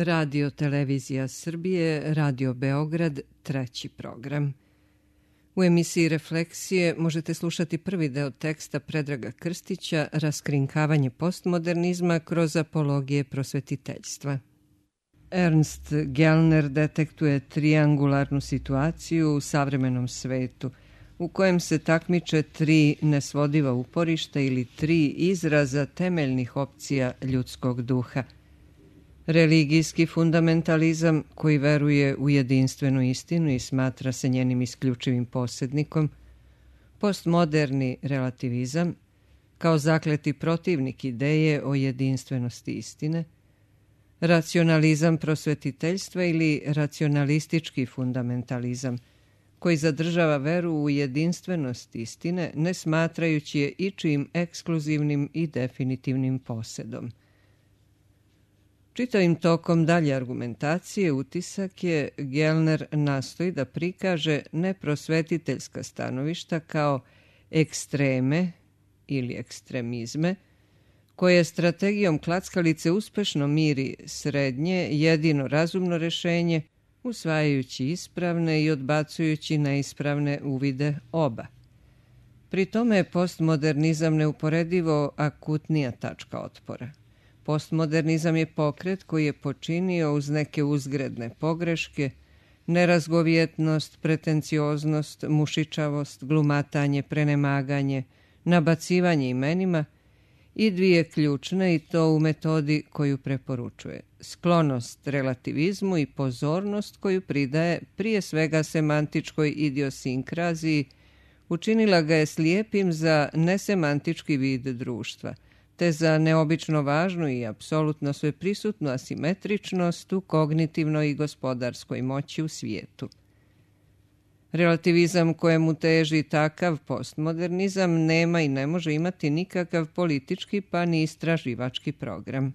Radio Televizija Srbije, Radio Beograd, treći program. U emisiji Refleksije možete slušati prvi deo teksta Predraga Krstića Raskrinkavanje postmodernizma kroz apologije prosvetiteljstva. Ernst Gellner detektuje triangularnu situaciju u savremenom svetu, u kojem se takmiče tri nesvodiva uporišta ili tri izraza temeljnih opcija ljudskog duha. Religijski fundamentalizam koji veruje u jedinstvenu istinu i smatra se njenim isključivim posjednikom, postmoderni relativizam kao zakleti protivnik ideje o jedinstvenosti istine, racionalizam prosvetiteljstva ili racionalistički fundamentalizam koji zadržava veru u jedinstvenost istine ne smatrajući je ičijim ekskluzivnim i definitivnim posjedom. Čitavim tokom dalje argumentacije utisak je Gellner nastoji da prikaže neprosvetiteljska stanovišta kao ekstreme ili ekstremizme, koje strategijom klackalice uspešno miri srednje, jedino razumno rešenje, usvajajući ispravne i odbacujući neispravne uvide oba. Pri tome je postmodernizam neuporedivo akutnija tačka otpora. Postmodernizam je pokret koji je počinio uz neke uzgredne pogreške, nerazgovjetnost, pretencioznost, mušičavost, glumatanje, prenemaganje, nabacivanje imenima i dvije ključne i to u metodi koju preporučuje. Sklonost relativizmu i pozornost koju pridaje prije svega semantičkoj idiosinkraziji učinila ga je slijepim za nesemantički vid društva, te za neobično važnu i apsolutno sveprisutnu asimetričnost u kognitivnoj i gospodarskoj moći u svijetu. Relativizam kojemu teži takav postmodernizam nema i ne može imati nikakav politički pa ni istraživački program.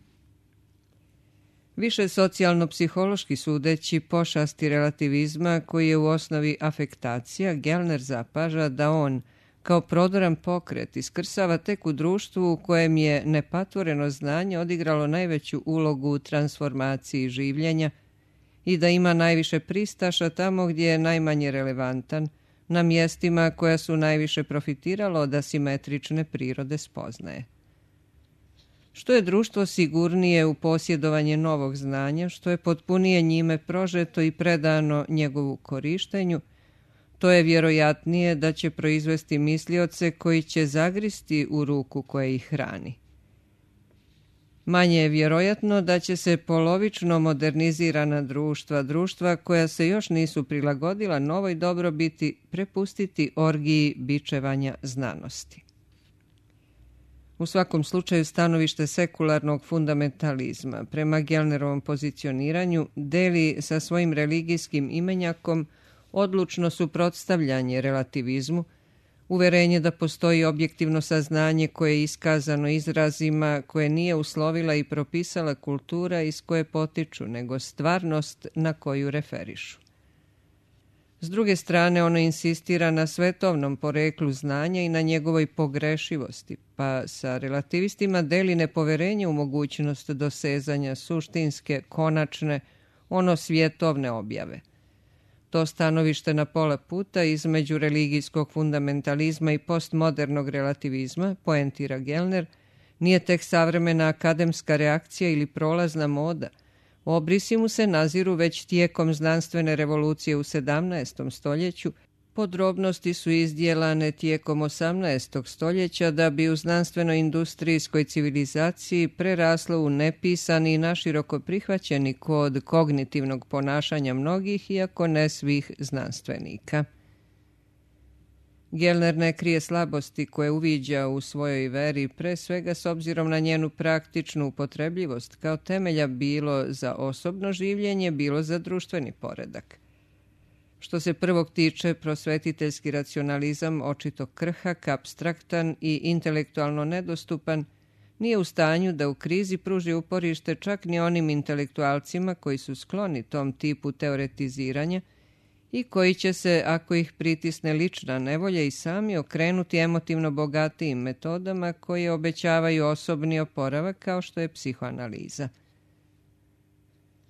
Više socijalno-psihološki sudeći pošasti relativizma koji je u osnovi afektacija, Gellner zapaža da on kao prodoran pokret iskrsava tek u društvu u kojem je nepatvoreno znanje odigralo najveću ulogu u transformaciji življenja i da ima najviše pristaša tamo gdje je najmanje relevantan, na mjestima koja su najviše profitiralo od asimetrične prirode spoznaje. Što je društvo sigurnije u posjedovanje novog znanja, što je potpunije njime prožeto i predano njegovu korištenju, to je vjerojatnije da će proizvesti mislioce koji će zagristi u ruku koja ih hrani. Manje je vjerojatno da će se polovično modernizirana društva koja se još nisu prilagodila novoj dobrobiti, prepustiti orgiji bičevanja znanosti. U svakom slučaju stanovište sekularnog fundamentalizma prema Gellnerovom pozicioniranju deli sa svojim religijskim imenjakom odlučno suprotstavljanje relativizmu, uverenje da postoji objektivno saznanje koje je iskazano izrazima koje nije uslovila i propisala kultura iz koje potiču, nego stvarnost na koju referišu. S druge strane, ono insistira na svetovnom poreklu znanja i na njegovoj pogrešivosti, pa sa relativistima deli nepoverenje u mogućnost dosezanja suštinske, konačne, svjetovne objave. To stanovište na pola puta između religijskog fundamentalizma i postmodernog relativizma, poentira Gellner, nije tek savremena akademska reakcija ili prolazna moda. Obrisi mu se naziru već tijekom znanstvene revolucije u 17. stoljeću, podrobnosti su izdjelane tijekom 18. stoljeća da bi u znanstveno-industrijskoj civilizaciji preraslo u nepisani i naširoko prihvaćeni kod kognitivnog ponašanja mnogih, iako ne svih znanstvenika. Gellner ne krije slabosti koje uviđa u svojoj veri, pre svega s obzirom na njenu praktičnu upotrebljivost kao temelja bilo za osobno življenje, bilo za društveni poredak. Što se prvog tiče, prosvetiteljski racionalizam, očito krhak, apstraktan i intelektualno nedostupan, nije u stanju da u krizi pruži uporište čak ni onim intelektualcima koji su skloni tom tipu teoretiziranja i koji će se, ako ih pritisne lična nevolja, i sami okrenuti emotivno bogatijim metodama koje obećavaju osobni oporavak kao što je psihoanaliza.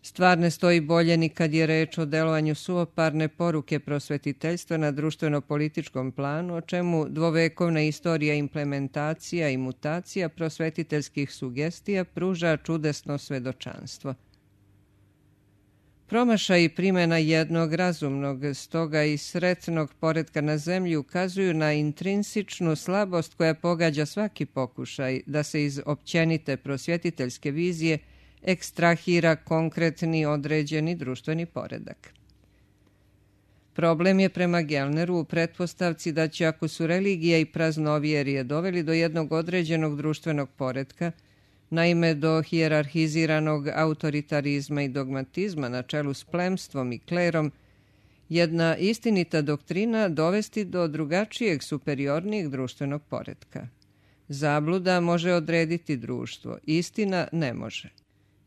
Stvar ne stoji bolje ni kad je reč o delovanju suvoparne poruke prosvetiteljstva na društveno-političkom planu, o čemu dvovekovna istorija implementacija i mutacija prosvetiteljskih sugestija pruža čudesno svedočanstvo. Promašaj i primjena jednog razumnog, stoga i sretnog poretka na zemlji ukazuju na intrinsičnu slabost koja pogađa svaki pokušaj da se iz općenite prosvjetiteljske vizije ekstrahira konkretni određeni društveni poredak. Problem je prema Gellneru u pretpostavci da će, ako su religija i praznovjerje doveli do jednog određenog društvenog poretka, naime do hijerarhiziranog autoritarizma i dogmatizma na čelu s plemstvom i klerom, jedna istinita doktrina dovesti do drugačijeg, superiornijeg društvenog poretka. Zabluda može odrediti društvo, istina ne može.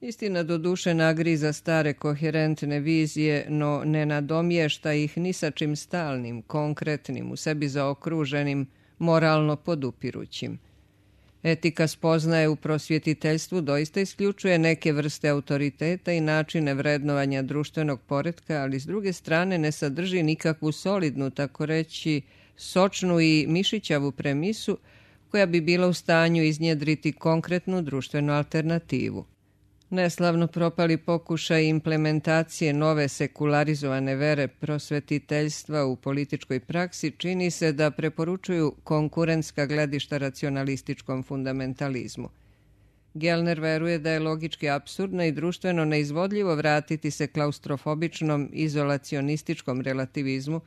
Istina doduše nagriza stare koherentne vizije, no ne nadomješta ih ni sa čim stalnim, konkretnim, u sebi zaokruženim, moralno podupirućim. Etika spoznaje u prosvjetiteljstvu doista isključuje neke vrste autoriteta i načine vrednovanja društvenog poretka, ali s druge strane ne sadrži nikakvu solidnu, tako reći, sočnu i mišićavu premisu koja bi bila u stanju iznjedriti konkretnu društvenu alternativu. Neslavno propali pokušaj implementacije nove sekularizovane vere prosvetiteljstva u političkoj praksi čini se da preporučuju konkurentska gledišta racionalističkom fundamentalizmu. Gellner veruje da je logički apsurdno i društveno neizvodljivo vratiti se klaustrofobičnom izolacionističkom relativizmu,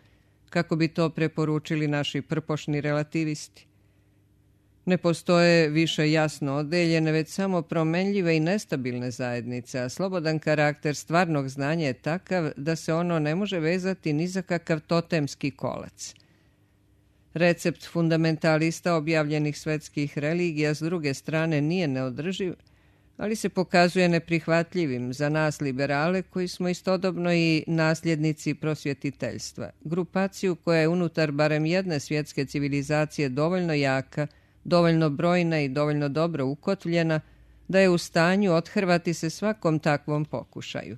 kako bi to preporučili naši prpošni relativisti. Ne postoje više jasno odeljene, već samo promenljive i nestabilne zajednice, a slobodan karakter stvarnog znanja je takav da se ono ne može vezati ni za kakav totemski kolac. Recept fundamentalista objavljenih svetskih religija s druge strane nije neodrživ, ali se pokazuje neprihvatljivim za nas liberale koji smo istodobno i nasljednici prosvjetiteljstva, grupaciju koja je unutar barem jedne svjetske civilizacije dovoljno jaka, dovoljno brojna i dovoljno dobro ukotvljena da je u stanju othrvati se svakom takvom pokušaju.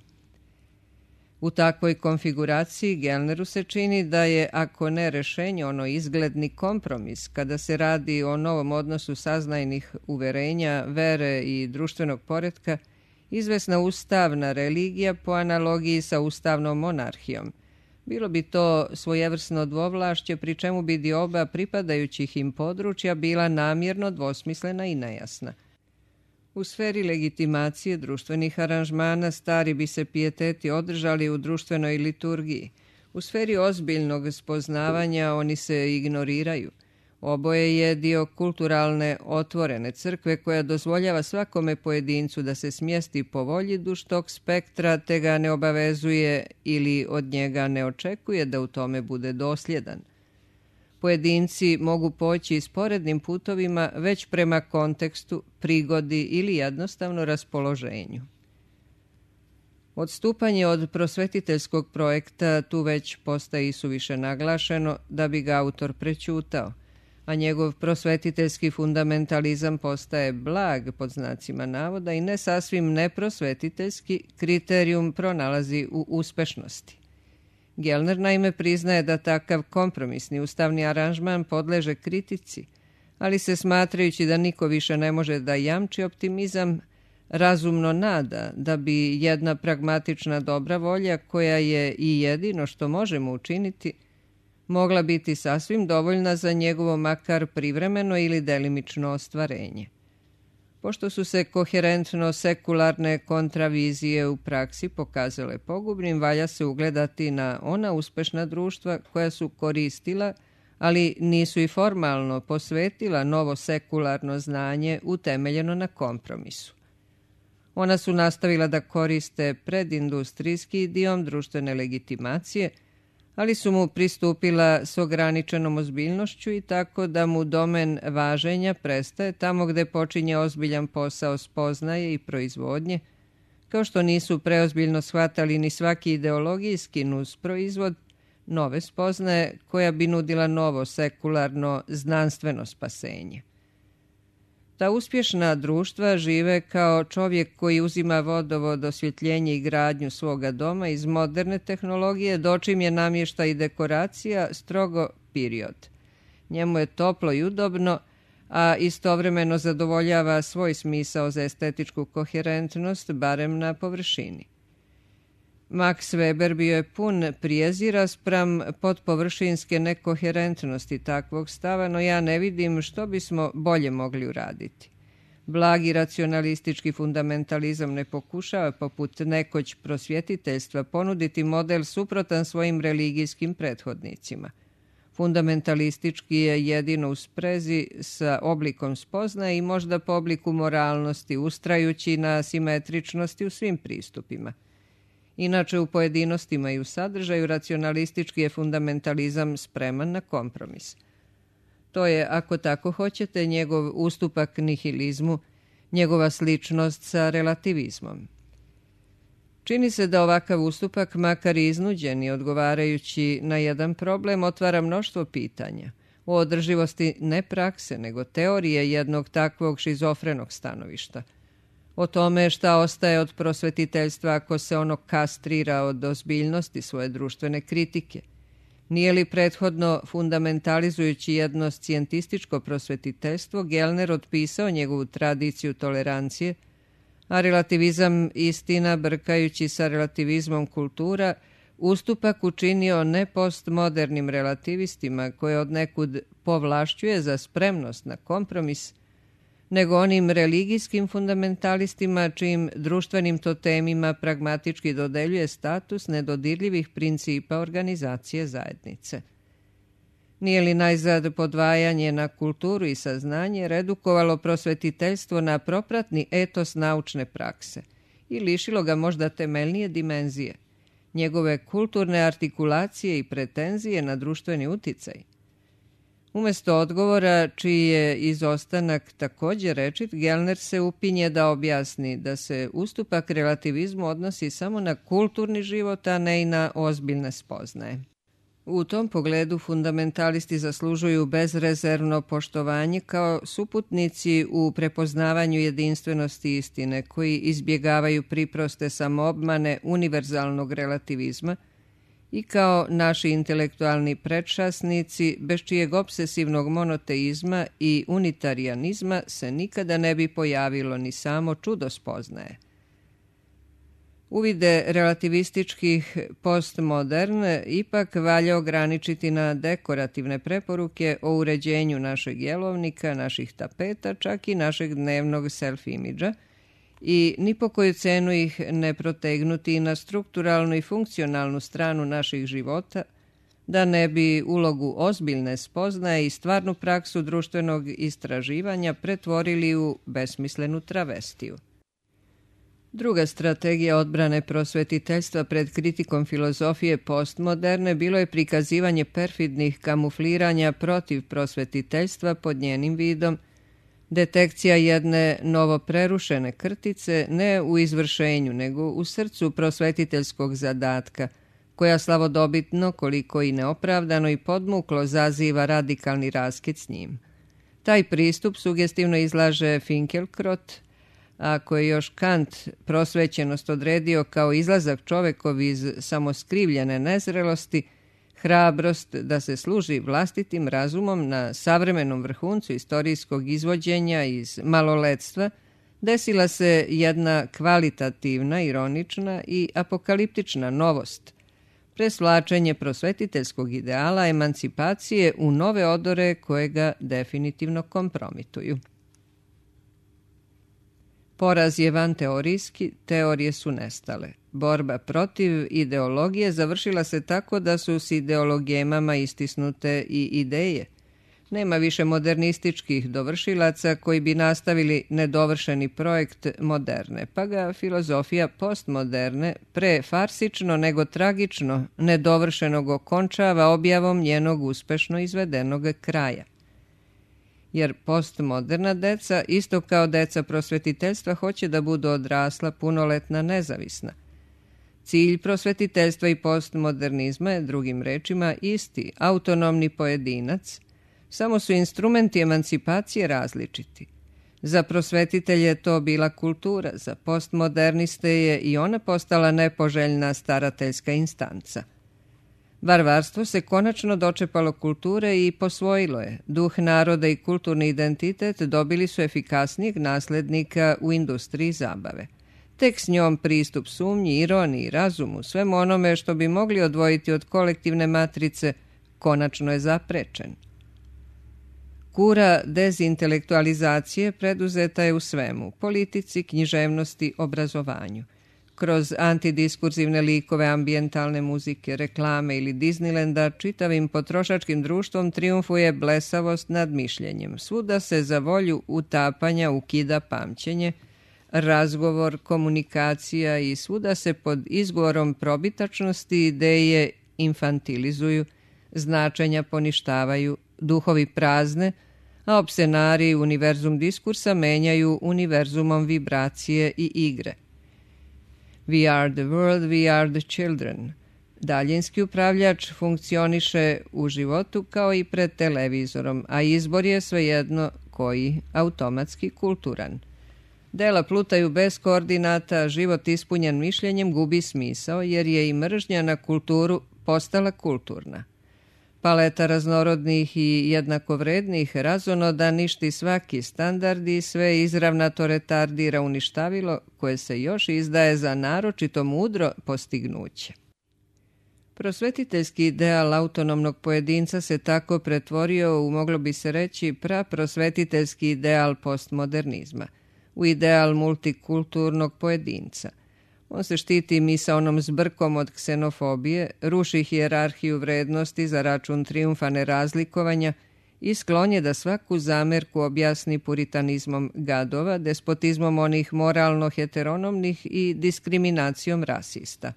U takvoj konfiguraciji Gellneru se čini da je, ako ne rešenje, ono izgledni kompromis kada se radi o novom odnosu saznajnih uverenja, vere i društvenog poretka, izvesna ustavna religija po analogiji sa ustavnom monarhijom. Bilo bi to svojevrsno dvovlašće, pri čemu bi dioba pripadajućih im područja bila namjerno dvosmislena i nejasna. U sferi legitimacije društvenih aranžmana stari bi se pijeteti održali u društvenoj liturgiji. U sferi ozbiljnog spoznavanja oni se ignoriraju. Oboje je dio kulturalne otvorene crkve koja dozvoljava svakome pojedincu da se smjesti po volji duž tog spektra, te ga ne obavezuje ili od njega ne očekuje da u tome bude dosljedan. Pojedinci mogu poći sporednim putovima već prema kontekstu, prigodi ili jednostavno raspoloženju. Odstupanje od prosvetiteljskog projekta tu već postaje isuviše naglašeno da bi ga autor prećutao, a njegov prosvetiteljski fundamentalizam postaje blag, pod znacima navoda, i ne sasvim neprosvetiteljski kriterijum pronalazi u uspešnosti. Gellner naime priznaje da takav kompromisni ustavni aranžman podleže kritici, ali se smatrajući da niko više ne može da jamči optimizam, razumno nada da bi jedna pragmatična dobra volja, koja je i jedino što možemo učiniti, mogla biti sasvim dovoljna za njegovo makar privremeno ili delimično ostvarenje. Pošto su se koherentno sekularne kontravizije u praksi pokazale pogubnim, valja se ugledati na ona uspešna društva koja su koristila, ali nisu i formalno posvetila novo sekularno znanje utemeljeno na kompromisu. Ona su nastavila da koriste predindustrijski idiom društvene legitimacije, ali su mu pristupila s ograničenom ozbiljnošću i tako da mu domen važenja prestaje tamo gde počinje ozbiljan posao spoznaje i proizvodnje, kao što nisu preozbiljno shvatali ni svaki ideologijski nusproizvod nove spoznaje koja bi nudila novo sekularno znanstveno spasenje. Ta uspješna društva žive kao čovjek koji uzima vodovod, osvjetljenje i gradnju svoga doma iz moderne tehnologije, dočim je namještaj i dekoracija strogo period. Njemu je toplo i udobno, a istovremeno zadovoljava svoj smisao za estetičku koherentnost, barem na površini. Max Weber bio je pun prijezira spram podpovršinske nekoherentnosti takvog stava, no ja ne vidim što bismo bolje mogli uraditi. Blagi racionalistički fundamentalizam ne pokušava, poput nekoć prosvjetiteljstva, ponuditi model suprotan svojim religijskim prethodnicima. Fundamentalistički je jedino u sprezi sa oblikom spoznaje i možda po obliku moralnosti, ustrajući na simetričnosti u svim pristupima. Inače, u pojedinostima i u sadržaju racionalistički je fundamentalizam spreman na kompromis. To je, ako tako hoćete, njegov ustupak nihilizmu, njegova sličnost sa relativizmom. Čini se da ovakav ustupak, makar i iznuđen i odgovarajući na jedan problem, otvara mnoštvo pitanja o održivosti ne prakse, nego teorije jednog takvog šizofrenog stanovišta. O tome šta ostaje od prosvetiteljstva ako se ono kastrira od ozbiljnosti svoje društvene kritike. Nije li prethodno fundamentalizujući jedno scijentističko prosvetiteljstvo Gellner otpisao njegovu tradiciju tolerancije, a relativizam istina, brkajući sa relativizmom kultura, ustupak učinio ne postmodernim relativistima koje odnekud povlašćuje za spremnost na kompromis, nego onim religijskim fundamentalistima čijim društvenim totemima pragmatički dodeljuje status nedodirljivih principa organizacije zajednice. Nije li najzad podvajanje na kulturu i saznanje redukovalo prosvetiteljstvo na propratni etos naučne prakse i lišilo ga možda temeljnije dimenzije, njegove kulturne artikulacije i pretenzije na društveni uticaj? Umjesto odgovora, čiji je izostanak također rečit, Gellner se upinje da objasni da se ustupak relativizmu odnosi samo na kulturni život, a ne i na ozbiljne spoznaje. U tom pogledu fundamentalisti zaslužuju bezrezervno poštovanje kao suputnici u prepoznavanju jedinstvenosti istine, koji izbjegavaju priproste samoobmane univerzalnog relativizma, i kao naši intelektualni predšasnici, bez čijeg obsesivnog monoteizma i unitarijanizma se nikada ne bi pojavilo ni samo čudo spoznaje. Uvide relativističkih postmoderne ipak valja ograničiti na dekorativne preporuke o uređenju našeg jelovnika, naših tapeta, čak i našeg dnevnog self-imidža, i ni po koju cenu ih ne protegnuti na strukturalnu i funkcionalnu stranu naših života, da ne bi ulogu ozbiljne spoznaje i stvarnu praksu društvenog istraživanja pretvorili u besmislenu travestiju. Druga strategija odbrane prosvetiteljstva pred kritikom filozofije postmoderne bilo je prikazivanje perfidnih kamufliranja protiv prosvetiteljstva pod njenim vidom, detekcija jedne novoprerušene krtice ne u izvršenju, nego u srcu prosvetiteljskog zadatka, koja slavodobitno, koliko i neopravdano i podmuklo zaziva radikalni raskid s njim. Taj pristup sugestivno izlaže Finkelkrot, a koji je još Kant prosvećenost odredio kao izlazak čovekov iz samoskrivljene nezrelosti, hrabrost da se služi vlastitim razumom na savremenom vrhuncu istorijskog izvođenja iz maloletstva, desila se jedna kvalitativna, ironična i apokaliptična novost, presvlačenje prosvetiteljskog ideala emancipacije u nove odore koje ga definitivno kompromituju. Poraz je vanteorijski, teorije su nestale. Borba protiv ideologije završila se tako da su s ideologijemama istisnute i ideje. Nema više modernističkih dovršilaca koji bi nastavili nedovršeni projekt moderne, pa ga filozofija postmoderne pre farsično nego tragično nedovršenog okončava objavom njenog uspešno izvedenog kraja. Jer postmoderna deca, isto kao deca prosvetiteljstva, hoće da budu odrasla, punoletna, nezavisna. Cilj prosvetiteljstva i postmodernizma je, drugim rečima, isti, autonomni pojedinac, samo su instrumenti emancipacije različiti. Za prosvetitelje je to bila kultura, za postmoderniste je i ona postala nepoželjna starateljska instanca. Varvarstvo se konačno dočepalo kulture i posvojilo je. Duh naroda i kulturni identitet dobili su efikasnijeg naslednika u industriji zabave. Tek s njom pristup sumnji, ironiji, razumu, svemu onome što bi mogli odvojiti od kolektivne matrice, konačno je zaprečen. Kura dezintelektualizacije preduzeta je u svemu, politici, književnosti, obrazovanju. Kroz antidiskurzivne likove ambijentalne muzike, reklame ili Disneylanda, čitavim potrošačkim društvom trijumfuje blesavost nad mišljenjem. Svuda se za volju utapanja ukida pamćenje, razgovor, komunikacija i svuda se pod izgovorom probitačnosti ideje infantilizuju, značenja poništavaju, duhovi prazne, a opsenari univerzum diskursa menjaju univerzumom vibracije i igre. We are the world, we are the children. Daljinski upravljač funkcioniše u životu kao i pred televizorom, a izbor je svejedno koji, automatski kulturan. Dela plutaju bez koordinata, život ispunjen mišljenjem gubi smisao jer je i mržnja na kulturu postala kulturna. Paleta raznorodnih i jednakovrednih razonoda ništi svaki standard i sve izravnato retardira uništavilo koje se još izdaje za naročito mudro postignuće. Prosvetiteljski ideal autonomnog pojedinca se tako pretvorio u, moglo bi se reći, praprosvetiteljski ideal postmodernizma, u ideal multikulturnog pojedinca. On se štiti misaonom zbrkom od ksenofobije, ruši hijerarhiju vrednosti za račun trijumfa nerazlikovanja i sklon je da svaku zamerku objasni puritanizmom gadova, despotizmom onih moralno heteronomnih i diskriminacijom rasista.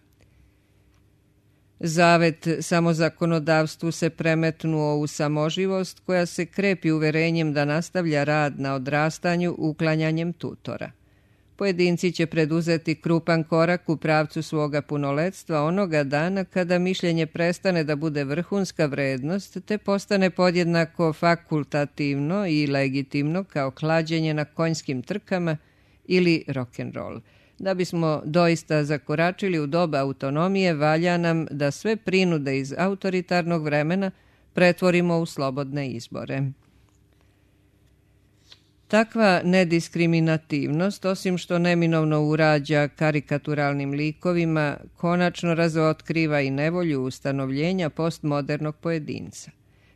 Zavet samozakonodavstvu se premetnuo u samoživost koja se krepi uverenjem da nastavlja rad na odrastanju uklanjanjem tutora. Pojedinci će preduzeti krupan korak u pravcu svoga punoletstva onoga dana kada mišljenje prestane da bude vrhunska vrednost te postane podjednako fakultativno i legitimno kao klađenje na konjskim trkama ili rock'n'roll. Da bismo doista zakoračili u doba autonomije, valja nam da sve prinude iz autoritarnog vremena pretvorimo u slobodne izbore. Takva nediskriminativnost, osim što neminovno urađa karikaturalnim likovima, konačno razotkriva i nevolju ustanovljenja postmodernog pojedinca.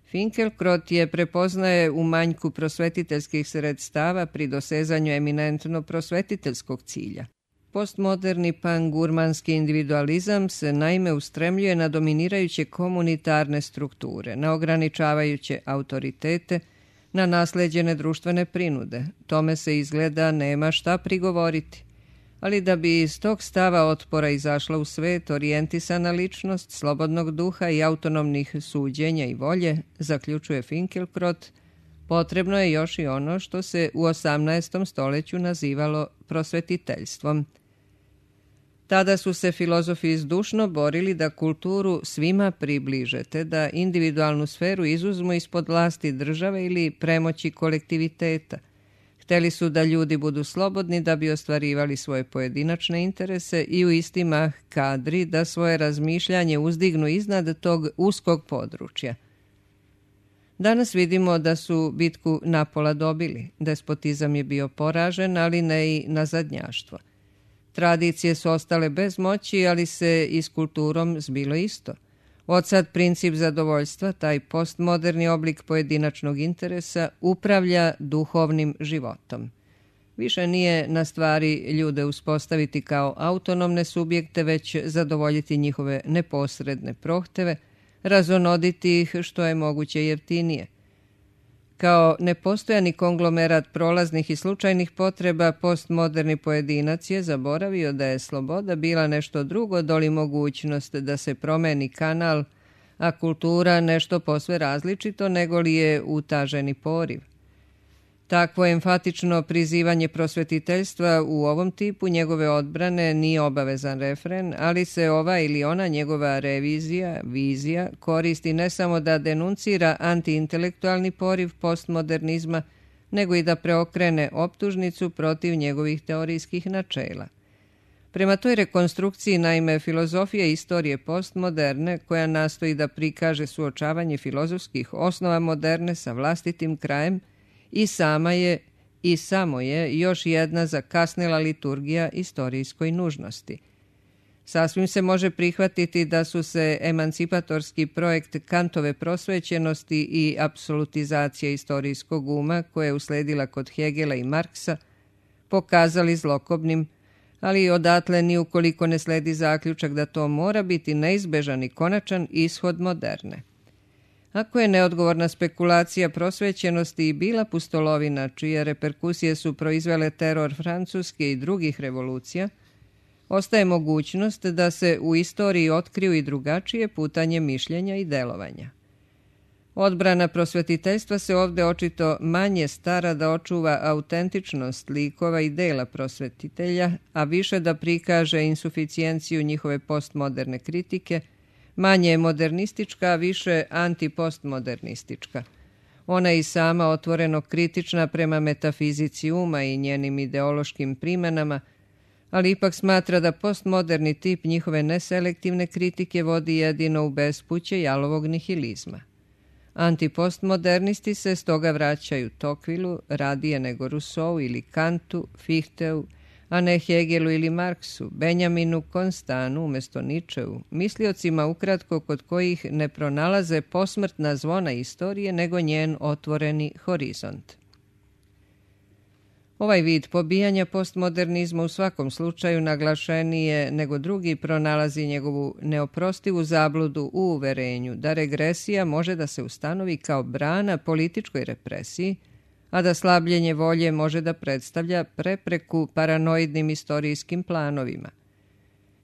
Finkielkraut je prepoznaje u manjku prosvetiteljskih sredstava pri dosezanju eminentno prosvetiteljskog cilja. Postmoderni pangurmanski individualizam se naime ustremljuje na dominirajuće komunitarne strukture, na ograničavajuće autoritete, na nasleđene društvene prinude. Tome se izgleda nema šta prigovoriti. Ali da bi iz tog stava otpora izašla u svet orijentisana ličnost, slobodnog duha i autonomnih suđenja i volje, zaključuje Finkielkraut, potrebno je još i ono što se u 18. stoljeću nazivalo prosvetiteljstvom. Tada su se filozofi zdušno borili da kulturu svima približete, da individualnu sferu izuzmu ispod vlasti države ili premoći kolektiviteta. Hteli su da ljudi budu slobodni da bi ostvarivali svoje pojedinačne interese i u isti mah kadri da svoje razmišljanje uzdignu iznad tog uskog područja. Danas vidimo da su bitku napola dobili. Despotizam je bio poražen, ali ne i nazadnjaštvo. Tradicije su ostale bez moći, ali se i s kulturom zbilo isto. Odsad princip zadovoljstva, taj postmoderni oblik pojedinačnog interesa, upravlja duhovnim životom. Više nije na stvari ljude uspostaviti kao autonomne subjekte, već zadovoljiti njihove neposredne prohteve, razonoditi ih što je moguće jeftinije. Kao nepostojani konglomerat prolaznih i slučajnih potreba, postmoderni pojedinac je zaboravio da je sloboda bila nešto drugo doli mogućnost da se promeni kanal, a kultura nešto posve različito nego li je utaženi poriv. Takvo enfatično prizivanje prosvetiteljstva u ovom tipu njegove odbrane nije obavezan refren, ali se ova ili ona njegova revizija, vizija, koristi ne samo da denuncira antiintelektualni poriv postmodernizma, nego i da preokrene optužnicu protiv njegovih teorijskih načela. Prema toj rekonstrukciji, naime, filozofija istorije postmoderne, koja nastoji da prikaže suočavanje filozofskih osnova moderne sa vlastitim krajem, i sama je i samo je još jedna zakasnela liturgija istorijskoj nužnosti. Sasvim se može prihvatiti da su se emancipatorski projekt Kantove prosvećenosti i apsolutizacija istorijskog uma, koja je usledila kod Hegela i Marksa, pokazali zlokobnim, ali odatle ni ukoliko ne sledi zaključak da to mora biti neizbežan i konačan ishod moderne. Ako je neodgovorna spekulacija prosvećenosti i bila pustolovina, čije reperkusije su proizvele teror Francuske i drugih revolucija, ostaje mogućnost da se u istoriji otkriju i drugačije putanje mišljenja i delovanja. Odbrana prosvetiteljstva se ovdje očito manje stara da očuva autentičnost likova i dela prosvetitelja, a više da prikaže insuficijenciju njihove postmoderne kritike, manje je modernistička, a više antipostmodernistička. Ona je i sama otvoreno kritična prema metafizici uma i njenim ideološkim primenama, ali ipak smatra da postmoderni tip njihove neselektivne kritike vodi jedino u bespuće jalovog nihilizma. Antipostmodernisti se stoga vraćaju Tocquevilleu radije nego Rousseau ili Kantu, Fichteu, a ne Hegelu ili Marksu, Benjaminu Constanu umjesto Nietzscheu, misliocima ukratko kod kojih ne pronalaze posmrtna zvona istorije nego njen otvoreni horizont. Ovaj vid pobijanja postmodernizma u svakom slučaju naglašenije nego drugi pronalazi njegovu neoprostivu zabludu u uverenju da regresija može da se ustanovi kao brana političkoj represiji, a da slabljenje volje može da predstavlja prepreku paranoidnim istorijskim planovima.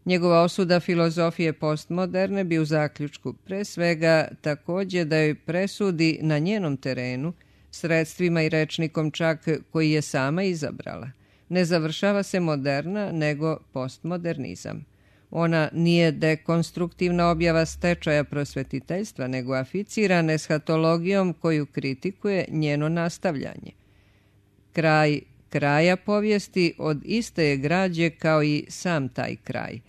Njegova osuda filozofije postmoderne bi u zaključku pre svega također da joj presudi na njenom terenu, sredstvima i rečnikom čak koji je sama izabrala. Ne završava se moderna, nego postmodernizam. Ona nije dekonstruktivna objava stečaja prosvetiteljstva, nego aficirana eshatologijom koju kritikuje njeno nastavljanje. Kraj kraja povijesti od iste je građe kao i sam taj kraj.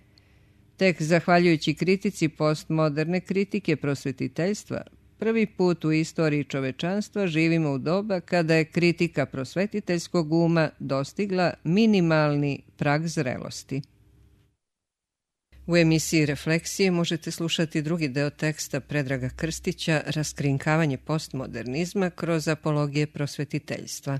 Tek zahvaljujući kritici postmoderne kritike prosvetiteljstva, prvi put u istoriji čovečanstva živimo u doba kada je kritika prosvetiteljskog uma dostigla minimalni prag zrelosti. U emisiji Refleksije možete slušati drugi deo teksta Predraga Krstića Raskrinkavanje postmodernizma kroz apologije prosvetiteljstva.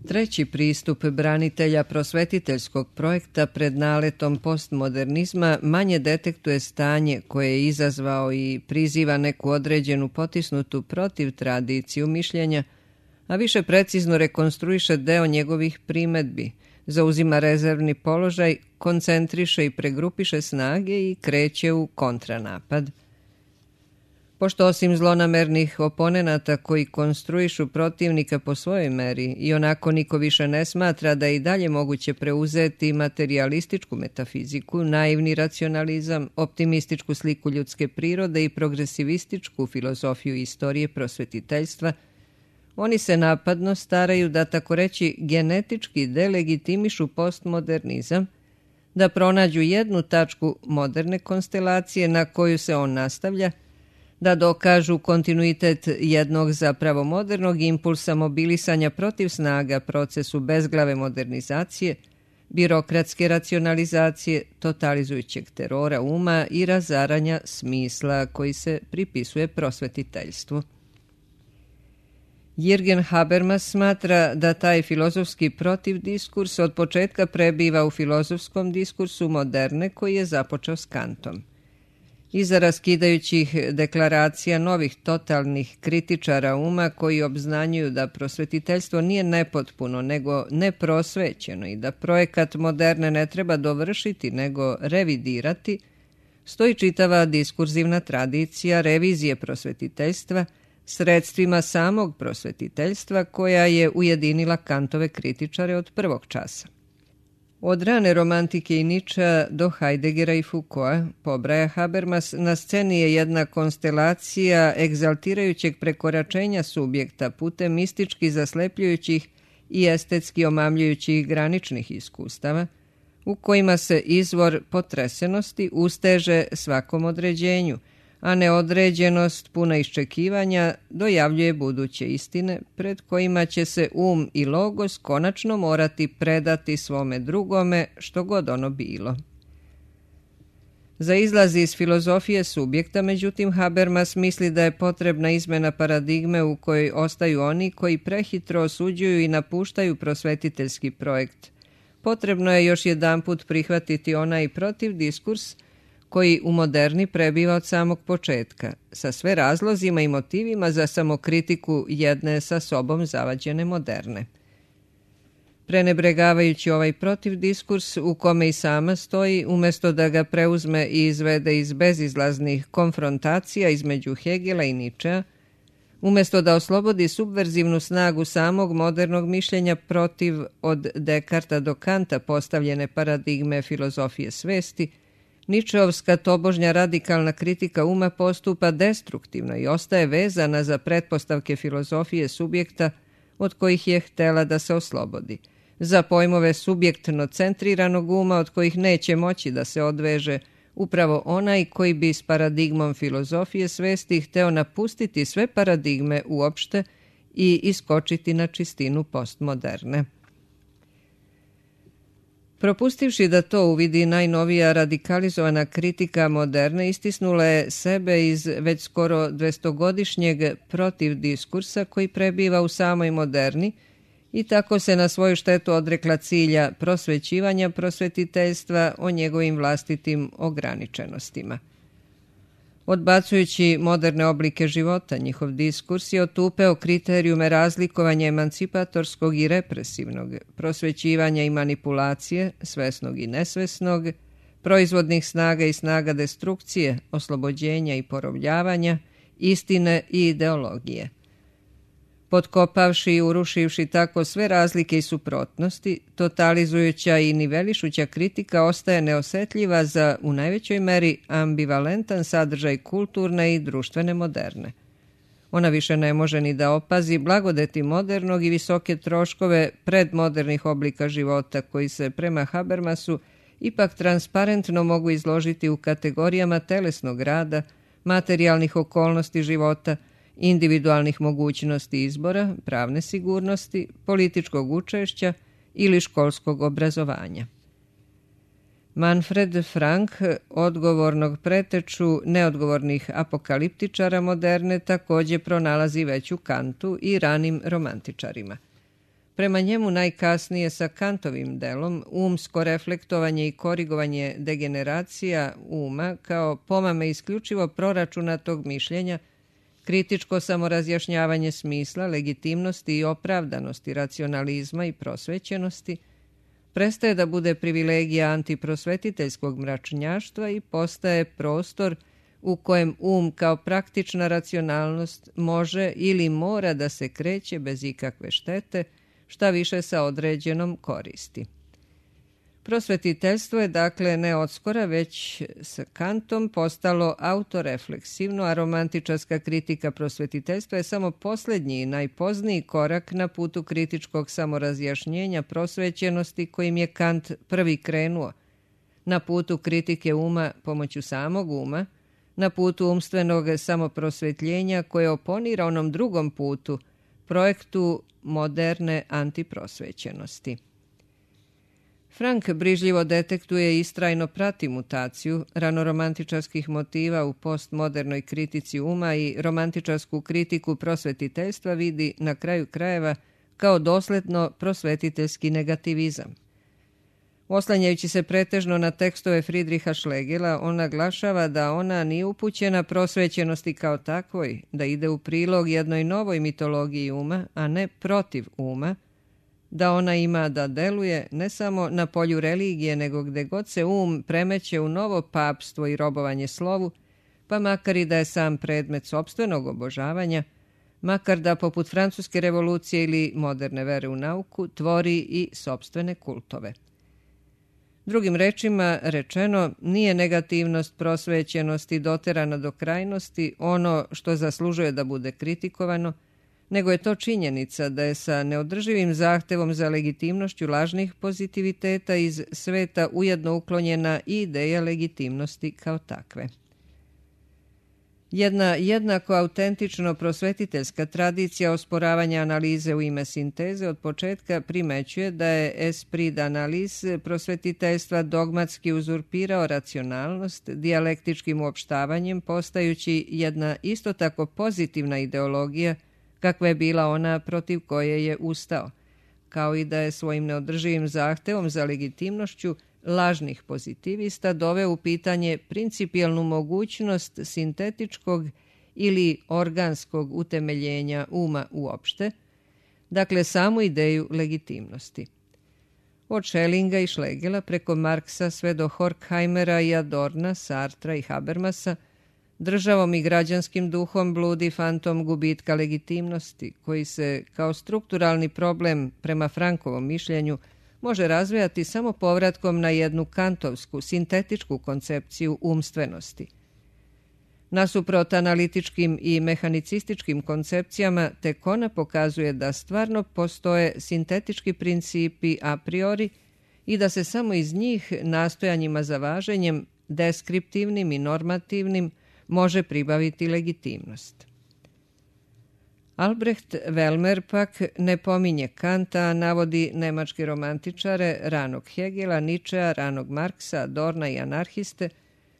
Treći pristup branitelja prosvetiteljskog projekta pred naletom postmodernizma manje detektuje stanje koje je izazvao i priziva neku određenu potisnutu protiv tradiciju mišljenja, a više precizno rekonstruiše deo njegovih primedbi, zauzima rezervni položaj, koncentriše i pregrupiše snage i kreće u kontranapad. Pošto osim zlonamernih oponenata koji konstruišu protivnika po svojoj meri i onako niko više ne smatra da je i dalje moguće preuzeti materialističku metafiziku, naivni racionalizam, optimističku sliku ljudske prirode i progresivističku filozofiju istorije prosvetiteljstva, oni se napadno staraju da tako reći genetički delegitimišu postmodernizam, da pronađu jednu tačku moderne konstelacije na koju se on nastavlja, da dokažu kontinuitet jednog zapravo modernog impulsa mobilisanja protiv snaga procesu bezglave modernizacije, birokratske racionalizacije, totalizujućeg terora uma i razaranja smisla koji se pripisuje prosvetiteljstvu. Jürgen Habermas smatra da taj filozofski protivdiskurs od početka prebiva u filozofskom diskursu moderne koji je započeo s Kantom. Iza raskidajućih deklaracija novih totalnih kritičara uma koji obznanjuju da prosvetiteljstvo nije nepotpuno nego neprosvećeno i da projekat moderne ne treba dovršiti nego revidirati, stoji čitava diskurzivna tradicija revizije prosvetiteljstva sredstvima samog prosvetiteljstva koja je ujedinila Kantove kritičare od prvog časa. Od rane romantike i Nietzschea do Heideggera i Foucaulta, pobraja Habermas, na sceni je jedna konstelacija egzaltirajućeg prekoračenja subjekta putem mistički zaslepljujućih i estetski omamljujućih graničnih iskustava, u kojima se izvor potresenosti usteže svakom određenju, a neodređenost puna iščekivanja dojavljuje buduće istine pred kojima će se i logos konačno morati predati svome drugome, što god ono bilo. Za izlaz iz filozofije subjekta, međutim, Habermas misli da je potrebna izmena paradigme u kojoj ostaju oni koji prehitro osuđuju i napuštaju prosvetiteljski projekt. Potrebno je još jedanput prihvatiti onaj protiv diskurs koji u moderni prebiva od samog početka, sa sve razlozima i motivima za samokritiku jedne sa sobom zavađene moderne. Prenebregavajući ovaj protiv diskurs u kome i sama stoji, umjesto da ga preuzme i izvede iz bezizlaznih konfrontacija između Hegela i Nietzschea, umjesto da oslobodi subverzivnu snagu samog modernog mišljenja protiv od Dekarta do Kanta postavljene paradigme filozofije svesti, Nietzscheovska tobožnja radikalna kritika uma postupa destruktivno i ostaje vezana za pretpostavke filozofije subjekta od kojih je htela da se oslobodi, za pojmove subjektno centriranog uma od kojih neće moći da se odveže upravo onaj koji bi s paradigmom filozofije svesti hteo napustiti sve paradigme uopšte i iskočiti na čistinu postmoderne. Propustivši da to uvidi, najnovija radikalizovana kritika moderne istisnula je sebe iz već skoro 200-godišnjeg protiv diskursa koji prebiva u samoj moderni i tako se na svoju štetu odrekla cilja prosvećivanja prosvetiteljstva o njegovim vlastitim ograničenostima. Odbacujući moderne oblike života, njihov diskurs je otupeo kriterijume razlikovanja emancipatorskog i represivnog, prosvećivanja i manipulacije, svesnog i nesvesnog, proizvodnih snaga i snaga destrukcije, oslobođenja i porobljavanja, istine i ideologije. Potkopavši i urušivši tako sve razlike i suprotnosti, totalizujuća i nivelišuća kritika ostaje neosetljiva za, u najvećoj meri, ambivalentan sadržaj kulturne i društvene moderne. Ona više ne može ni da opazi blagodeti modernog i visoke troškove predmodernih oblika života koji se prema Habermasu ipak transparentno mogu izložiti u kategorijama telesnog rada, materijalnih okolnosti života, individualnih mogućnosti izbora, pravne sigurnosti, političkog učešća ili školskog obrazovanja. Manfred Frank, odgovornog preteču neodgovornih apokaliptičara moderne, također pronalazi već u Kantu i ranim romantičarima. Prema njemu najkasnije sa Kantovim delom umsko reflektovanje i korigovanje degeneracija uma kao pomame isključivo proračunatog mišljenja, kritičko samorazjašnjavanje smisla, legitimnosti i opravdanosti racionalizma i prosvećenosti, prestaje da bude privilegija antiprosvetiteljskog mračnjaštva i postaje prostor u kojem kao praktična racionalnost može ili mora da se kreće bez ikakve štete, šta više sa određenom koristi. Prosvetiteljstvo je dakle ne odskora već s Kantom postalo autorefleksivno, a romantičarska kritika prosvetiteljstva je samo posljednji i najpozniji korak na putu kritičkog samorazjašnjenja prosvećenosti kojim je Kant prvi krenuo, na putu kritike uma pomoću samog uma, na putu umstvenog samoprosvetljenja koje oponira onom drugom putu, projektu moderne antiprosvećenosti. Frank brižljivo detektuje i istrajno prati mutaciju ranoromantičarskih motiva u postmodernoj kritici uma i romantičarsku kritiku prosvetiteljstva vidi na kraju krajeva kao dosledno prosvetiteljski negativizam. Oslanjajući se pretežno na tekstove Friedricha Schlegela, on naglašava da ona nije upućena prosvećenosti kao takvoj, da ide u prilog jednoj novoj mitologiji uma, a ne protiv uma, da ona ima da deluje ne samo na polju religije, nego gde god se premeće u novo papstvo i robovanje slovu, pa makar i da je sam predmet sopstvenog obožavanja, makar da poput francuske revolucije ili moderne vere u nauku tvori i sopstvene kultove. Drugim rečima rečeno, nije negativnost prosvećenosti doterana do krajnosti ono što zaslužuje da bude kritikovano, nego je to činjenica da je sa neodrživim zahtevom za legitimnošću lažnih pozitiviteta iz sveta ujedno uklonjena i ideja legitimnosti kao takve. Jedna jednako autentično prosvetiteljska tradicija osporavanja analize u ime sinteze od početka primećuje da je esprit d'analyse prosvetiteljstva dogmatski uzurpirao racionalnost dijalektičkim uopštavanjem, postajući jedna isto tako pozitivna ideologija kakva je bila ona protiv koje je ustao, kao i da je svojim neodrživim zahtevom za legitimnošću lažnih pozitivista doveo u pitanje principijelnu mogućnost sintetičkog ili organskog utemeljenja uma uopšte, dakle samu ideju legitimnosti. Od Schellinga i Schlegela preko Marksa sve do Horkheimera i Adorna, Sartra i Habermasa, državom i građanskim duhom bludi fantom gubitka legitimnosti, koji se kao strukturalni problem prema Frankovom mišljenju može razvijati samo povratkom na jednu kantovsku, sintetičku koncepciju umstvenosti. Nasuprot analitičkim i mehanicističkim koncepcijama, tek ona pokazuje da stvarno postoje sintetički principi a priori i da se samo iz njih nastojanjima za važenjem, deskriptivnim i normativnim, može pribaviti legitimnost. Albrecht Welmer pak ne pominje Kanta, a navodi nemačke romantičare, ranog Hegela, Ničea, ranog Marksa, Adorna i anarhiste,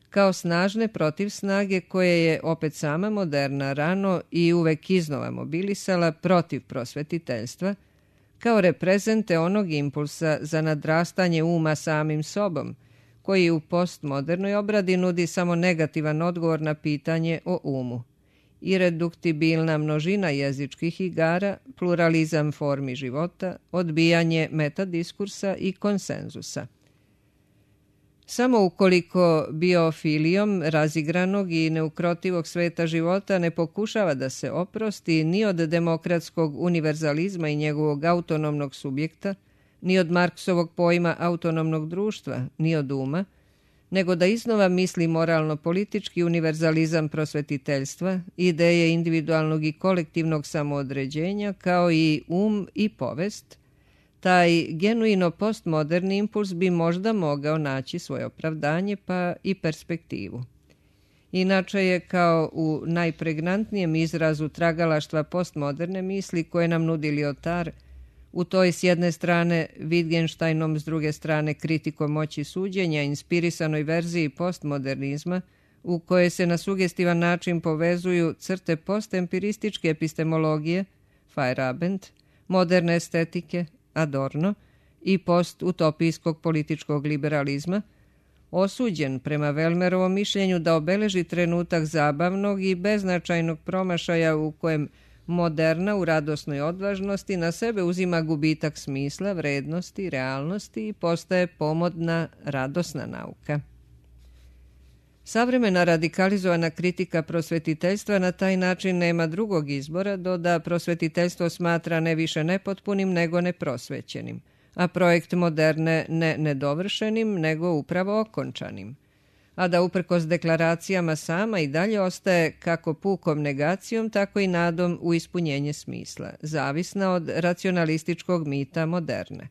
kao snažne protivsnage koje je opet sama moderna rano i uvek iznova mobilisala protiv prosvetiteljstva, kao reprezente onog impulsa za nadrastanje uma samim sobom, koji u postmodernoj obradi nudi samo negativan odgovor na pitanje o umu. Ireduktibilna množina jezičkih igara, pluralizam formi života, odbijanje metadiskursa i konsenzusa. Samo ukoliko biofilijom razigranog i neukrotivog sveta života ne pokušava da se oprosti ni od demokratskog univerzalizma i njegovog autonomnog subjekta, ni od Marksovog pojma autonomnog društva, ni od uma, nego da iznova misli moralno-politički univerzalizam prosvetiteljstva, ideje individualnog i kolektivnog samoodređenja, kao i um i povest, taj genuino postmoderni impuls bi možda mogao naći svoje opravdanje pa i perspektivu. Inače je kao u najpregnantnijem izrazu tragalaštva postmoderne misli koje nam nudi Lyotard, u toj s jedne strane Wittgensteinom, s druge strane kritikom moći suđenja, inspirisanoj verziji postmodernizma, u kojoj se na sugestivan način povezuju crte postempirističke epistemologije, Feyerabend, moderne estetike, Adorno, i postutopijskog političkog liberalizma, osuđen prema Welmerovom mišljenju da obeleži trenutak zabavnog i beznačajnog promašaja u kojem moderna u radosnoj odvažnosti na sebe uzima gubitak smisla, vrednosti, realnosti i postaje pomodna, radosna nauka. Savremena radikalizovana kritika prosvetiteljstva na taj način nema drugog izbora do da prosvetiteljstvo smatra ne više nepotpunim nego neprosvećenim, a projekt moderne ne nedovršenim nego upravo okončanim, a da uprkos deklaracijama sama i dalje ostaje kako pukom negacijom, tako i nadom u ispunjenje smisla, zavisna od racionalističkog mita moderne.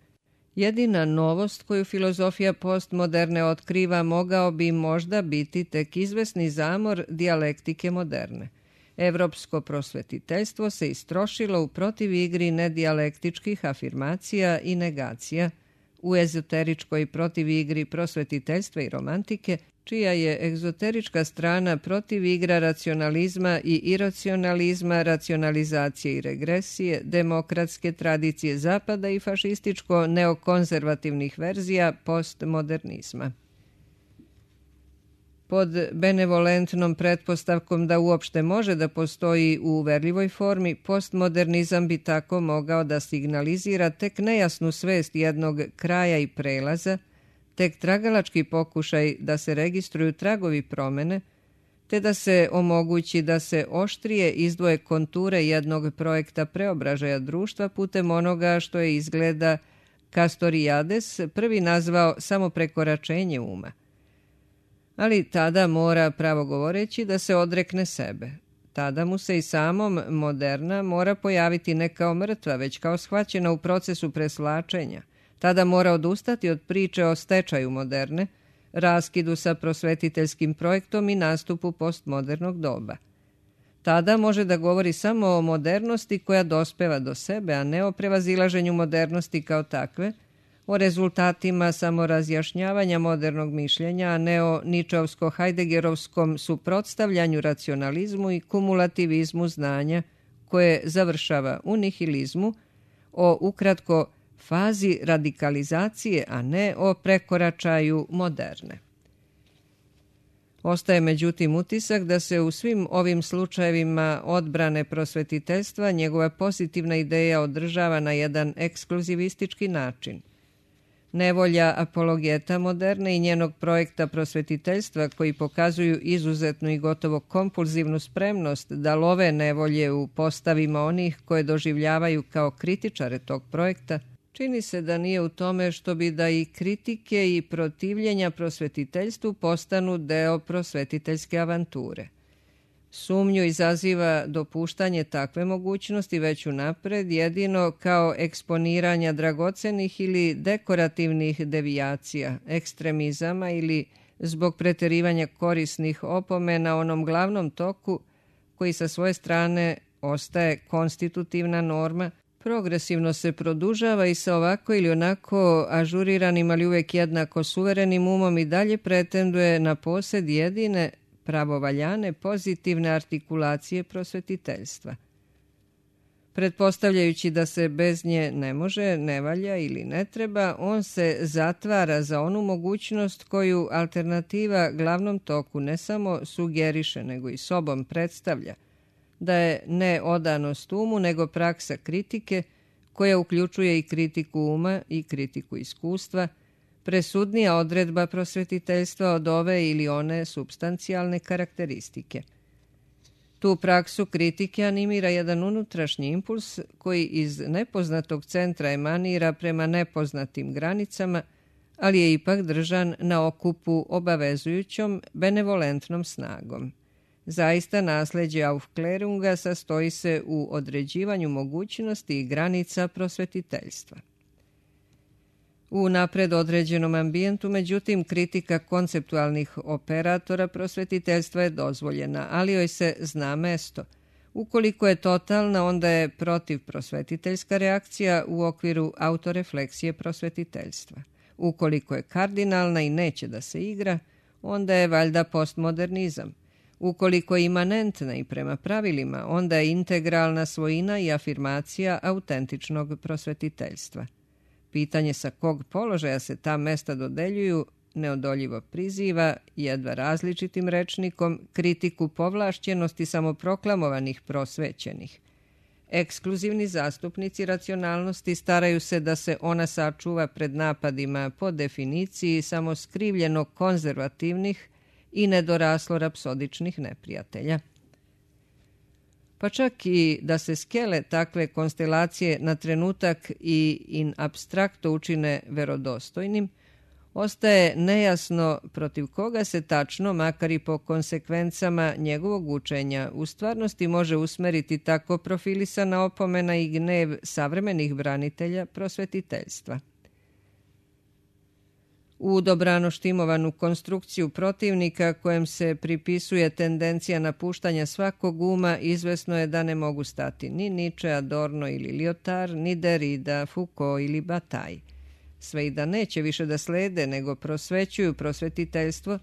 Jedina novost koju filozofija postmoderne otkriva mogao bi možda biti tek izvesni zamor dijalektike moderne. Evropsko prosvetiteljstvo se istrošilo u protivigri nedijalektičkih afirmacija i negacija, u ezoteričkoj protivigri prosvetiteljstva i romantike, čija je egzoterička strana protivigra racionalizma i iracionalizma, racionalizacije i regresije, demokratske tradicije zapada i fašističko-neokonzervativnih verzija postmodernizma. Pod benevolentnom pretpostavkom da uopšte može da postoji u uverljivoj formi, postmodernizam bi tako mogao da signalizira tek nejasnu svest jednog kraja i prelaza, tek tragalački pokušaj da se registruju tragovi promene, te da se omogući da se oštrije izdvoje konture jednog projekta preobražaja društva putem onoga što je izgleda Castoriades prvi nazvao samo prekoračenje uma. Ali tada mora, pravo govoreći, da se odrekne sebe. Tada mu se i samom moderna mora pojaviti ne kao mrtva, već kao shvaćena u procesu preslačenja. Tada mora odustati od priče o stečaju moderne, raskidu sa prosvetiteljskim projektom i nastupu postmodernog doba. Tada može da govori samo o modernosti koja dospeva do sebe, a ne o prevazilaženju modernosti kao takve, o rezultatima samorazjašnjavanja modernog mišljenja, a ne o ničovsko-hajdegerovskom suprotstavljanju racionalizmu i kumulativizmu znanja koje završava u nihilizmu, o ukratko fazi radikalizacije, a ne o prekoračaju moderne. Ostaje međutim utisak da se u svim ovim slučajevima odbrane prosvetiteljstva njegova pozitivna ideja održava na jedan ekskluzivistički način. Nevolja apologeta moderne i njenog projekta prosvetiteljstva koji pokazuju izuzetnu i gotovo kompulzivnu spremnost da love nevolje u postavima onih koje doživljavaju kao kritičare tog projekta, čini se da nije u tome što bi da i kritike i protivljenja prosvetiteljstvu postanu deo prosvetiteljske avanture. Sumnju izaziva dopuštanje takve mogućnosti već unapred jedino kao eksponiranja dragocenih ili dekorativnih devijacija, ekstremizama ili zbog preterivanja korisnih opomena onom glavnom toku koji sa svoje strane ostaje konstitutivna norma, progresivno se produžava i sa ovako ili onako ažuriranim, ali uvijek jednako suverenim umom i dalje pretenduje na posed jedine pravovaljane pozitivne artikulacije prosvetiteljstva. Pretpostavljajući da se bez nje ne može, ne valja ili ne treba, on se zatvara za onu mogućnost koju alternativa glavnom toku ne samo sugeriše, nego i sobom predstavlja, da je ne odanost umu, nego praksa kritike, koja uključuje i kritiku uma i kritiku iskustva, presudnija odredba prosvetiteljstva od ove ili one supstancijalne karakteristike. Tu praksu kritike animira jedan unutrašnji impuls koji iz nepoznatog centra emanira prema nepoznatim granicama, ali je ipak držan na okupu obavezujućom, benevolentnom snagom. Zaista nasleđe Aufklärunga sastoji se u određivanju mogućnosti i granica prosvetiteljstva. U napred određenom ambijentu, međutim, kritika konceptualnih operatora prosvetiteljstva je dozvoljena, ali joj se zna mesto. Ukoliko je totalna, onda je protivprosvetiteljska reakcija u okviru autorefleksije prosvetiteljstva. Ukoliko je kardinalna i neće da se igra, onda je valjda postmodernizam. Ukoliko je imanentna i prema pravilima, onda je integralna svojina i afirmacija autentičnog prosvetiteljstva. Pitanje sa kog položaja se ta mesta dodeljuju neodoljivo priziva, jedva različitim rečnikom, kritiku povlašćenosti samoproklamovanih prosvećenih. Ekskluzivni zastupnici racionalnosti staraju se da se ona sačuva pred napadima po definiciji samo skrivljeno konzervativnih i nedoraslo rapsodičnih neprijatelja. Pa čak i da se skele takve konstelacije na trenutak i in abstrakto učine verodostojnim, ostaje nejasno protiv koga se tačno, makar i po konsekvencama njegovog učenja, u stvarnosti može usmeriti tako profilisana opomena i gnev savremenih branitelja prosvetiteljstva. U dobrano štimovanu konstrukciju protivnika kojem se pripisuje tendencija napuštanja svakog uma, izvesno je da ne mogu stati ni Nietzsche, Adorno ili Lyotard, ni Derrida, Foucault ili Bataille. Sve i da neće više da slede, nego prosvećuju prosvetiteljstvo,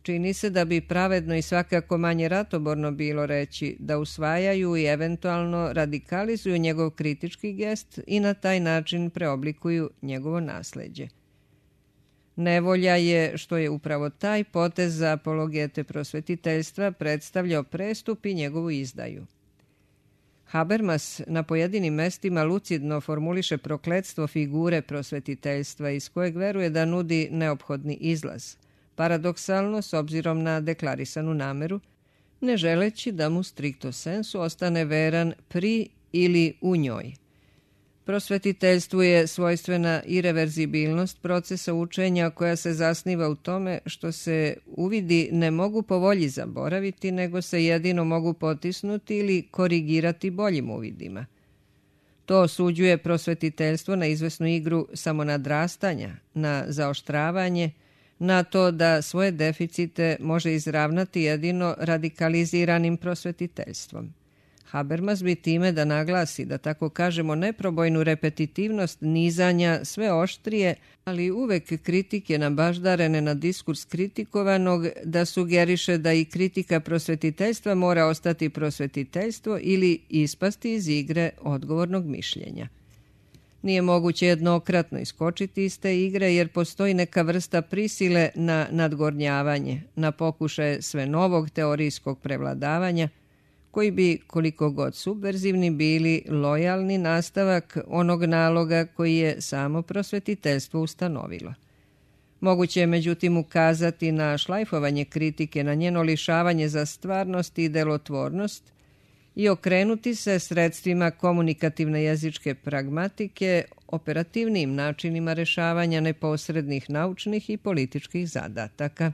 čini se da bi pravedno i svakako manje ratoborno bilo reći da usvajaju i eventualno radikalizuju njegov kritički gest i na taj način preoblikuju njegovo nasleđe. Nevolja je što je upravo taj potez za apologete prosvetiteljstva predstavljao prestup i njegovu izdaju. Habermas na pojedinim mestima lucidno formuliše prokletstvo figure prosvetiteljstva iz kojeg veruje da nudi neophodni izlaz, paradoksalno s obzirom na deklarisanu nameru, ne želeći da mu stricto sensu ostane veran pri ili u njoj. Prosvetiteljstvu je svojstvena ireverzibilnost procesa učenja koja se zasniva u tome što se uvidi ne mogu po volji zaboraviti, nego se jedino mogu potisnuti ili korigirati boljim uvidima. To osuđuje prosvetiteljstvo na izvesnu igru samonadrastanja, na zaoštravanje, na to da svoje deficite može izravnati jedino radikaliziranim prosvetiteljstvom. Habermas bi time da naglasi, da tako kažemo, neprobojnu repetitivnost nizanja sve oštrije, ali uvek kritike nabaždarene na diskurs kritikovanog, da sugeriše da i kritika prosvetiteljstva mora ostati prosvetiteljstvo ili ispasti iz igre odgovornog mišljenja. Nije moguće jednokratno iskočiti iz te igre jer postoji neka vrsta prisile na nadgornjavanje, na pokušaje sve novog teorijskog prevladavanja, koji bi, koliko god subverzivni bili, lojalni nastavak onog naloga koji je samo prosvetiteljstvo ustanovilo. Moguće je međutim ukazati na šlajfovanje kritike, na njeno lišavanje za stvarnost i delotvornost i okrenuti se sredstvima komunikativne jezičke pragmatike, operativnim načinima rešavanja neposrednih naučnih i političkih zadataka.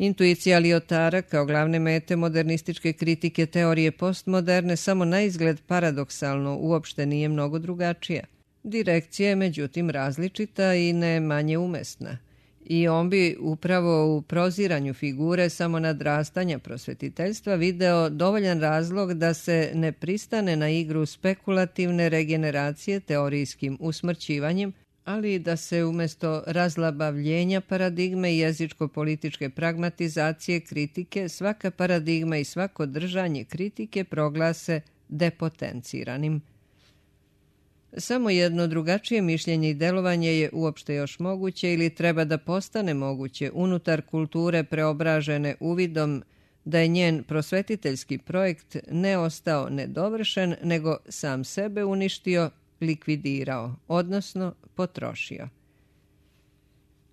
Intuicija Liotara kao glavne mete modernističke kritike teorije postmoderne samo na izgled paradoksalno uopšte nije mnogo drugačija. Direkcija je međutim različita i ne manje umesna. I on bi upravo u proziranju figure samonadrastanja prosvetiteljstva video dovoljan razlog da se ne pristane na igru spekulativne regeneracije teorijskim usmrćivanjem, ali da se umjesto razlabavljenja paradigme i jezičko-političke pragmatizacije kritike svaka paradigma i svako držanje kritike proglase depotenciranim. Samo jedno drugačije mišljenje i delovanje je uopšte još moguće ili treba da postane moguće unutar kulture preobražene uvidom da je njen prosvetiteljski projekt ne ostao nedovršen, nego sam sebe uništio, likvidirao, odnosno potrošio.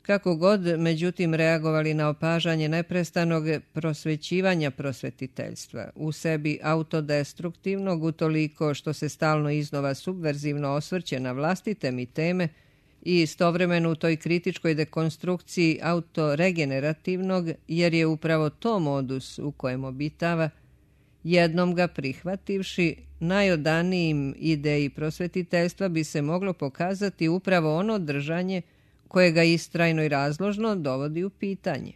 Kako god, međutim, reagovali na opažanje neprestanog prosvećivanja prosvetiteljstva, u sebi autodestruktivnog utoliko što se stalno iznova subverzivno osvrće na vlastite mi teme i istovremeno u toj kritičkoj dekonstrukciji autoregenerativnog, jer je upravo to modus u kojem obitava, jednom ga prihvativši, najodanijim ideji prosvetiteljstva bi se moglo pokazati upravo ono držanje koje ga istrajno i razložno dovodi u pitanje.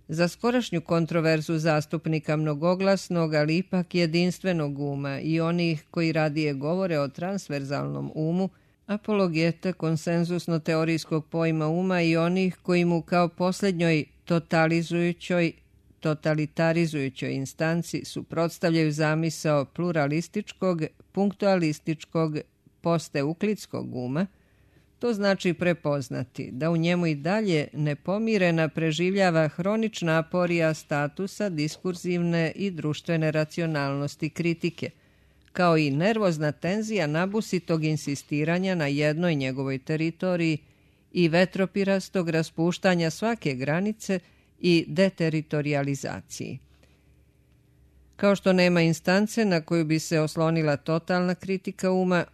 Za skorašnju kontroverzu zastupnika mnogoglasnog, ali ipak jedinstvenog uma i onih koji radije govore o transverzalnom umu, apologeta konsenzusno-teorijskog pojma uma i onih koji mu kao posljednjoj totalitarizujućoj instanci suprotstavljaju zamisao pluralističkog, punktualističkog, posteuklidskog uma, to znači prepoznati da u njemu i dalje nepomirena preživljava hronična aporija statusa diskurzivne i društvene racionalnosti kritike, kao i nervozna tenzija nabusitog insistiranja na jednoj njegovoj teritoriji i vetropirastog raspuštanja svake granice i deteritorializaciji. Kao što nema instance na koju bi se oslonila totalna kritika uma,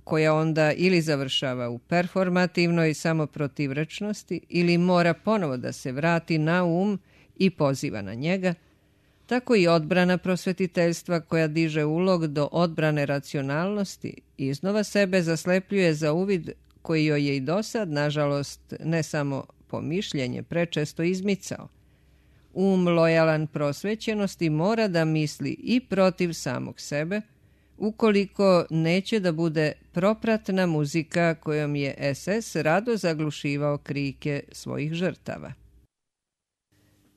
koja onda ili završava u performativnoj samoprotivrečnosti ili mora ponovo da se vrati na um i poziva na njega, tako i odbrana prosvetiteljstva koja diže ulog do odbrane racionalnosti iznova sebe zaslepljuje za uvid koji joj je i dosad, nažalost, ne samo po mišljenje prečesto izmicao. Um lojalan prosvećenosti mora da misli i protiv samog sebe, ukoliko neće da bude propratna muzika kojom je SS rado zaglušivao krike svojih žrtava.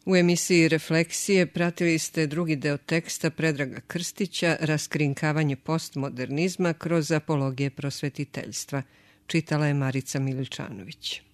U emisiji Refleksije pratili ste drugi deo teksta Predraga Krstića Raskrinkavanje postmodernizma kroz apologije prosvetiteljstva. Čitala je Marica Miličanović.